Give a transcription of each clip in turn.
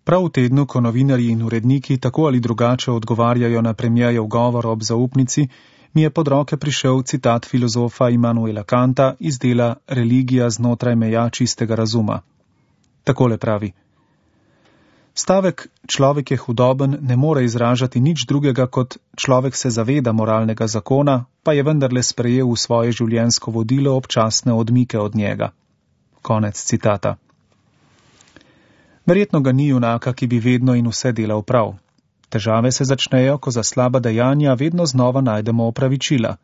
Prav v tednu, ko novinarji in uredniki tako ali drugače odgovarjajo na premierjev govor ob zaupnici, mi je pod roke prišel citat filozofa Immanuela Kanta iz dela Religija znotraj meja čistega razuma. Takole pravi: stavek človek je hudoben ne more izražati nič drugega kot človek se zaveda moralnega zakona, pa je vendarle sprejel v svoje življenjsko vodilo občasne odmike od njega. Konec citata. Verjetno ga ni junaka, ki bi vedno in vse delal prav. Težave se začnejo, ko za slaba dejanja vedno znova najdemo opravičila.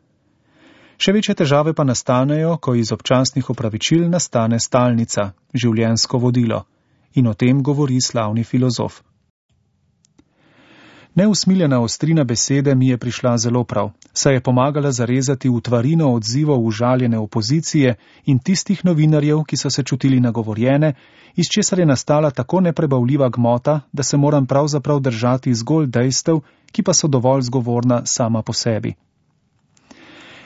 Še večje težave pa nastanejo, ko iz občasnih opravičil nastane stalnica, življenjsko vodilo. In o tem govori slavni filozof. Neusmiljena ostrina besede mi je prišla zelo prav, saj je pomagala zarezati v tvarino odzivov užaljene opozicije in tistih novinarjev, ki so se čutili nagovorjene, iz česar je nastala tako neprebavljiva gmota, da se moram pravzaprav držati zgolj dejstev, ki pa so dovolj zgovorna sama po sebi.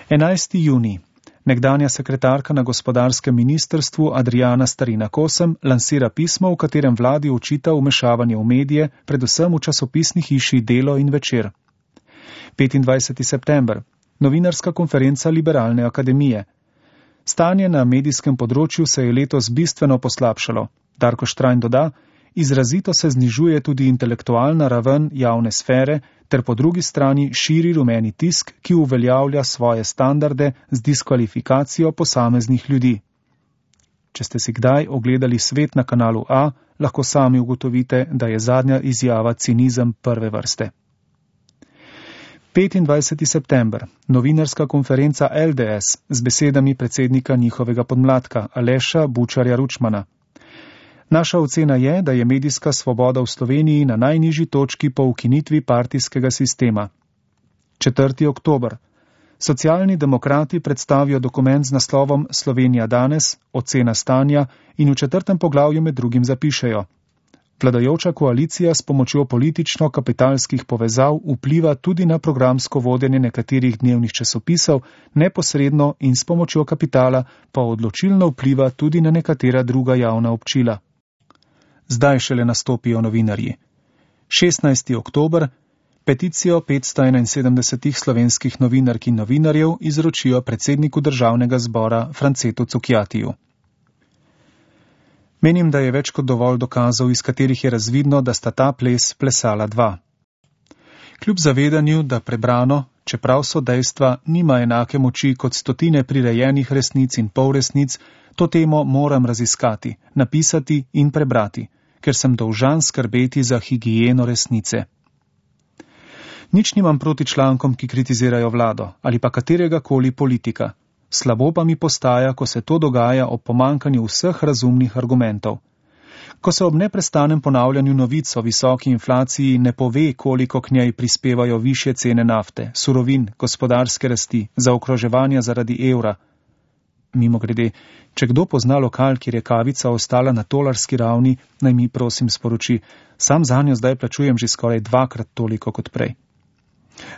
11. junij. Nekdanja sekretarka na gospodarskem ministrstvu Adriana Starina Kosem lansira pismo, v katerem vladi očita vmešavanje v medije, predvsem v časopisni hiši Delo in Večer. 25. september. Novinarska konferenca Liberalne akademije. Stanje na medijskem področju se je letos bistveno poslabšalo. Darko Štrajn doda: izrazito se znižuje tudi intelektualna raven javne sfere, ter po drugi strani širi rumeni tisk, ki uveljavlja svoje standarde z diskvalifikacijo posameznih ljudi. Če ste si kdaj ogledali Svet na kanalu A, lahko sami ugotovite, da je zadnja izjava cinizem prve vrste. 25. september. Novinarska konferenca LDS z besedami predsednika njihovega podmladka Aleša Bučarja Ručmana. Naša ocena je, da je medijska svoboda v Sloveniji na najnižji točki po ukinitvi partijskega sistema. 4. oktober. Socialni demokrati predstavijo dokument z naslovom Slovenija danes, ocena stanja in v 4. poglavju med drugim zapišejo: vladajoča koalicija s pomočjo politično-kapitalskih povezav vpliva tudi na programsko vodenje nekaterih dnevnih časopisov, neposredno in s pomočjo kapitala pa odločilno vpliva tudi na nekatera druga javna občila. Zdaj šele nastopijo novinarji. 16. oktober. Peticijo 571 slovenskih novinark in novinarjev izročijo predsedniku državnega zbora Francetu Cukjatiju. Menim, da je več kot dovolj dokazov, iz katerih je razvidno, da sta ta ples plesala dva. Kljub zavedanju, da prebrano, čeprav so dejstva, nima enake moči kot stotine prirejenih resnic in polresnic, to temo moram raziskati, napisati in prebrati, ker sem dolžan skrbeti za higieno resnice. Nič nimam proti člankom, ki kritizirajo vlado ali pa katerega koli politika. Slabo pa mi postaja, ko se to dogaja ob pomankanju vseh razumnih argumentov. Ko se ob neprestanem ponavljanju novic o visoki inflaciji ne pove, koliko k njej prispevajo višje cene nafte, surovin, gospodarske rasti, zaokroževanja zaradi evra. Mimogrede, če kdo pozna lokal, kjer je kavica ostala na tolarski ravni, naj mi prosim sporoči, sam zanjo zdaj plačujem že skoraj 2-krat toliko kot prej.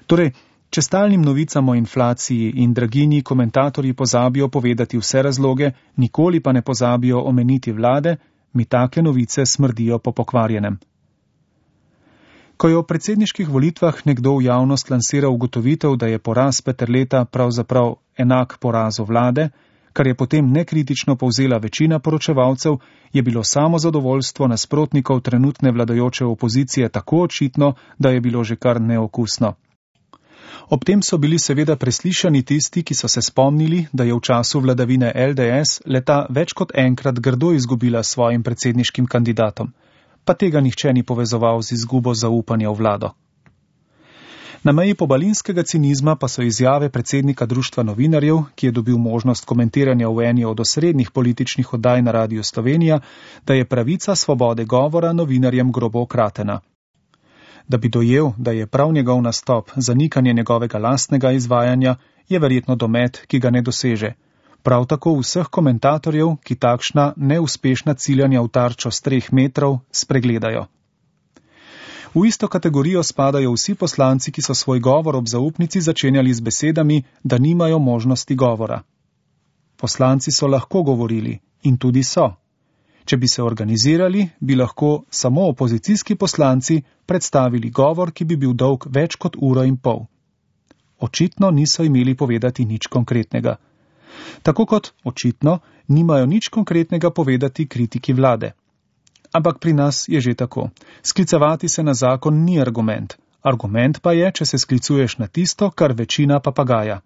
Torej, če stalnim novicam o inflaciji in draginji komentatorji pozabijo povedati vse razloge, nikoli pa ne pozabijo omeniti vlade, mi take novice smrdijo po pokvarjenem. Ko je o predsedniških volitvah nekdo v javnost lansiral ugotovitev, da je poraz Peterleta pravzaprav enak porazu vlade, kar je potem nekritično povzela večina poročevalcev, je bilo samo zadovoljstvo nasprotnikov trenutne vladajoče opozicije tako očitno, da je bilo že kar neokusno. Ob tem so bili seveda preslišani tisti, ki so se spomnili, da je v času vladavine LDS leta več kot enkrat grdo izgubila svojim predsedniškim kandidatom, pa tega nihče ni povezoval z izgubo zaupanja v vlado. Na meji pobalinskega cinizma pa so izjave predsednika Društva novinarjev, ki je dobil možnost komentiranja v eni od osrednjih političnih oddaj na Radiu Slovenija, da je pravica svobode govora novinarjem grobo kratena. Da bi dojel, da je prav njegov nastop zanikanje njegovega lastnega izvajanja, je verjetno domet, ki ga ne doseže. Prav tako vseh komentatorjev, ki takšna neuspešna ciljanja v tarčo s 3 metrov spregledajo. V isto kategorijo spadajo vsi poslanci, ki so svoj govor ob zaupnici začenjali z besedami, da nimajo možnosti govora. Poslanci so lahko govorili in tudi so. Če bi se organizirali, bi lahko samo opozicijski poslanci predstavili govor, ki bi bil dolg več kot 1,5 ure. Očitno niso imeli povedati nič konkretnega. Tako kot očitno nimajo nič konkretnega povedati kritiki vlade. Ampak pri nas je že tako. Sklicevati se na zakon ni argument. Argument pa je, če se sklicuješ na tisto, kar večina papagaja.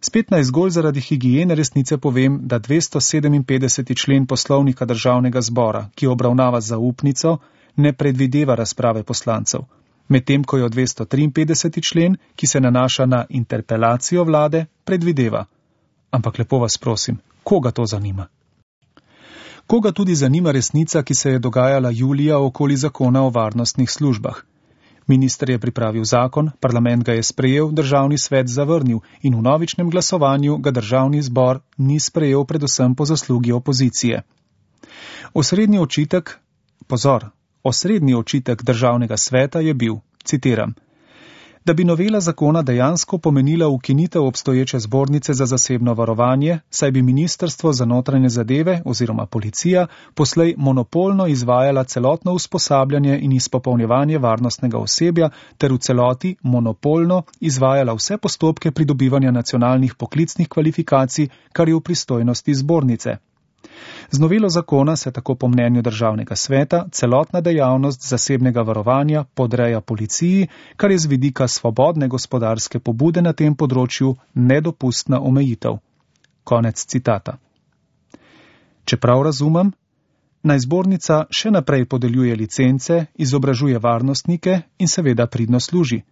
Spet naj zgolj zaradi higiene resnice povem, da 257. člen Poslovnika Državnega zbora, ki obravnava zaupnico, ne predvideva razprave poslancev. Medtem ko jo 253. člen, ki se nanaša na interpelacijo vlade, predvideva. Ampak lepo vas prosim, koga to zanima? Koga tudi zanima resnica, ki se je dogajala julija okoli zakona o varnostnih službah? Minister je pripravil zakon, parlament ga je sprejel, državni svet zavrnil in v novičnem glasovanju ga državni zbor ni sprejel predvsem po zaslugi opozicije. Osrednji očitek državnega sveta je bil, citiram, da bi novela zakona dejansko pomenila ukinitev obstoječe zbornice za zasebno varovanje, saj bi Ministrstvo za notranje zadeve oziroma policija poslej monopolno izvajala celotno usposabljanje in izpopolnjevanje varnostnega osebja ter v celoti monopolno izvajala vse postopke pridobivanja nacionalnih poklicnih kvalifikacij, kar je v pristojnosti zbornice. Z novelo zakona se tako po mnenju državnega sveta celotna dejavnost zasebnega varovanja podreja policiji, kar je z vidika svobodne gospodarske pobude na tem področju nedopustna omejitev. Konec citata. Čeprav razumem, naj zbornica še naprej podeljuje licence, izobražuje varnostnike in seveda pridno služi.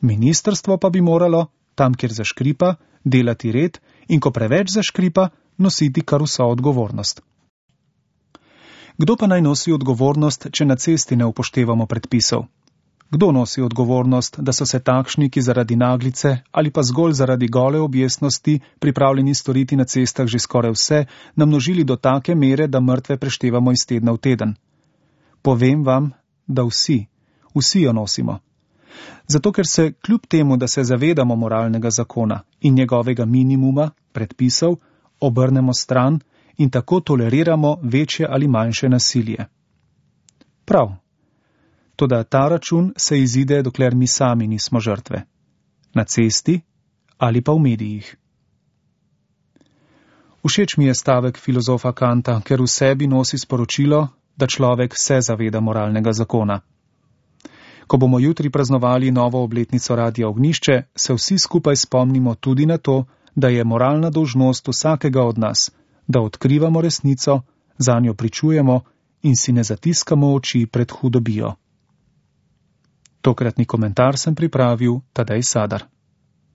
Ministrstvo pa bi moralo, tam kjer zaškripa, delati red in ko preveč zaškripa, nositi kar vso odgovornost. Kdo pa naj nosi odgovornost, če na cesti ne upoštevamo predpisov? Kdo nosi odgovornost, da so se takšni, ki zaradi naglice ali pa zgolj zaradi gole objestnosti pripravljeni storiti na cestah že skoraj vse, namnožili do take mere, da mrtve preštevamo iz tedna v teden? Povem vam, da vsi jo nosimo. Zato, ker se kljub temu, da se zavedamo moralnega zakona in njegovega minimuma, predpisov, obrnemo stran in tako toleriramo večje ali manjše nasilje. Prav. Toda ta račun se izide, dokler mi sami nismo žrtve. Na cesti ali pa v medijih. Všeč mi je stavek filozofa Kanta, ker v sebi nosi sporočilo, da človek se zaveda moralnega zakona. Ko bomo jutri praznovali novo obletnico Radia Ognjišče, se vsi skupaj spomnimo tudi na to, da je moralna dolžnost vsakega od nas, da odkrivamo resnico, zanjo pričujemo in si ne zatiskamo oči pred hudobijo. Tokratni komentar sem pripravil Tadej Sadar.